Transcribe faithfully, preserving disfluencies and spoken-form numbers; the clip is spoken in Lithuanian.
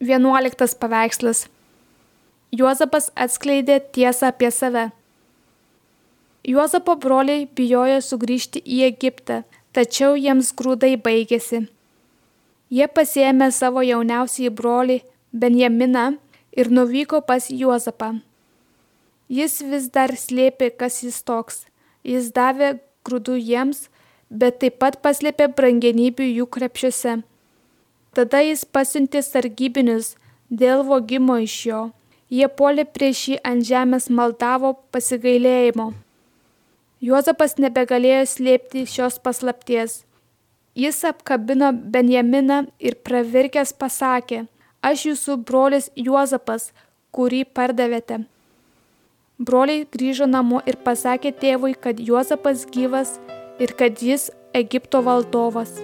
Vienuoliktas paveikslas. Juozapas atskleidė tiesą apie save. Juozapo broliai bijojo sugrįžti į Egiptą, tačiau jiems grūdai baigėsi. Jie pasiėmė savo jauniausiąjį brolį Benjaminą ir nuvyko pas Juozapą. Jis vis dar slėpė, kas jis toks. Jis davė grūdų jiems, bet taip pat paslėpė brangenybių jų krepšiuose. Tada jis pasiuntė sargybinius dėl vogimo iš jo. Jie puolė prieš jį ant žemės, maldavo pasigailėjimo. Juozapas nebegalėjo slėpti šios paslapties. Jis apkabino Benjaminą ir pravirkęs pasakė: aš jūsų brolis Juozapas, kurį pardavėte. Broliai grįžo namo ir pasakė tėvui, kad Juozapas gyvas ir kad jis Egipto valdovas.